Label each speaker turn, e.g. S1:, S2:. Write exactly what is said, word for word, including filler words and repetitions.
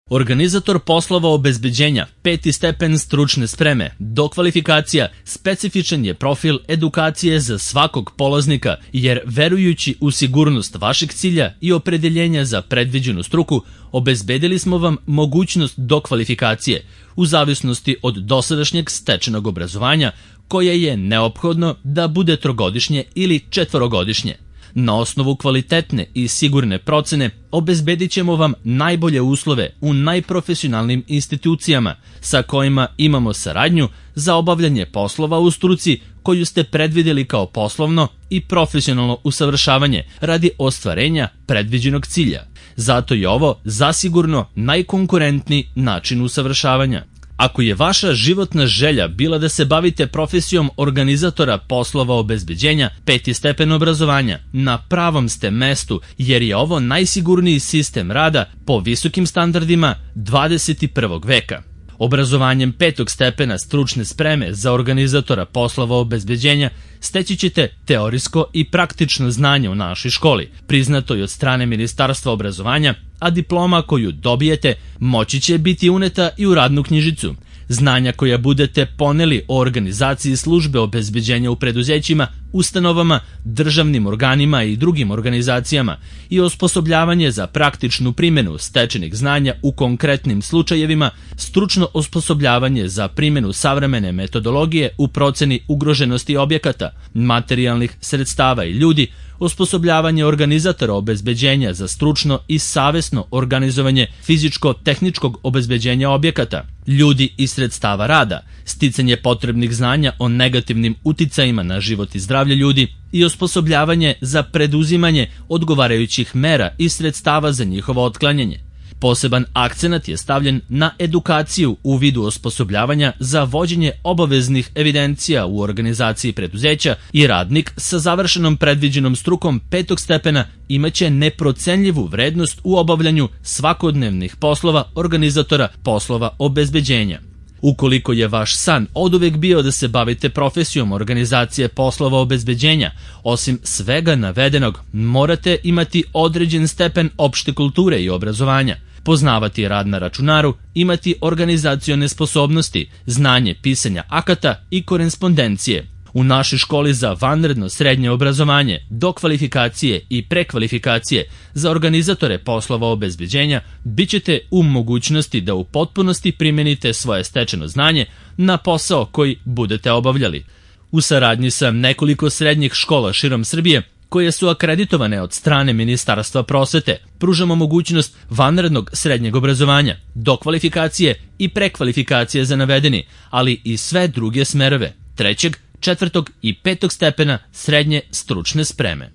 S1: Organizator poslova obezbeđenja, peti stepen stručne spreme, dokvalifikacija, specifičan je profil edukacije za svakog polaznika, jer verujući u sigurnost vašeg cilja i opredeljenja za predviđenu struku, obezbedili smo vam mogućnost dokvalifikacije u zavisnosti od dosadašnjeg stečenog obrazovanja, koje je neophodno da bude trogodišnje ili četvorogodišnje. Na osnovu kvalitetne i sigurne procene obezbedit ćemo vam najbolje uslove u najprofesionalnim institucijama sa kojima imamo saradnju za obavljanje poslova u struci koju ste predvideli kao poslovno i profesionalno usavršavanje radi ostvarenja predviđenog cilja. Zato je ovo zasigurno najkonkurentniji način usavršavanja. Ako je vaša životna želja bila da se bavite profesijom organizatora poslova obezbeđenja, peti stepen obrazovanja, na pravom ste mestu, jer je ovo najsigurniji sistem rada po visokim standardima dvadeset prvog veka. Obrazovanjem petog stepena stručne spreme za organizatora poslova obezbeđenja steći ćete teorijsko i praktično znanje u našoj školi, priznato je od strane Ministarstva obrazovanja, a diploma koju dobijete moći će biti uneta i u radnu knjižicu. Znanja koja budete poneli o organizaciji službe obezbeđenja u preduzećima, ustanovama, državnim organima i drugim organizacijama i osposobljavanje za praktičnu primjenu stečenih znanja u konkretnim slučajevima, stručno osposobljavanje za primjenu savremene metodologije u proceni ugroženosti objekata, materijalnih sredstava i ljudi, osposobljavanje organizatora obezbeđenja za stručno i savesno organizovanje fizičko-tehničkog obezbeđenja objekata, ljudi i sredstava rada, sticanje potrebnih znanja o negativnim uticajima na život i zdravlje ljudi i osposobljavanje za preduzimanje odgovarajućih mera i sredstava za njihovo otklanjanje. Poseban akcenat je stavljen na edukaciju u vidu osposobljavanja za vođenje obaveznih evidencija u organizaciji preduzeća i radnik sa završenom predviđenom strukom petog stepena imaće neprocenljivu vrednost u obavljanju svakodnevnih poslova organizatora poslova obezbeđenja. Ukoliko je vaš san oduvek bio da se bavite profesijom organizacije poslova obezbeđenja, osim svega navedenog, morate imati određen stepen opšte kulture i obrazovanja, poznavati rad na računaru, imati organizacione sposobnosti, znanje pisanja akata i korespondencije. U našoj školi za vanredno srednje obrazovanje, dokvalifikacije i prekvalifikacije za organizatore poslova obezbeđenja bit ćete u mogućnosti da u potpunosti primenite svoje stečeno znanje na posao koji budete obavljali. U saradnji sa nekoliko srednjih škola širom Srbije, koje su akreditovane od strane Ministarstva prosvete, pružamo mogućnost vanrednog srednjeg obrazovanja, dokvalifikacije i prekvalifikacije za navedeni, ali i sve druge smerove, trećeg, četvrtog i petog stepena srednje stručne spreme.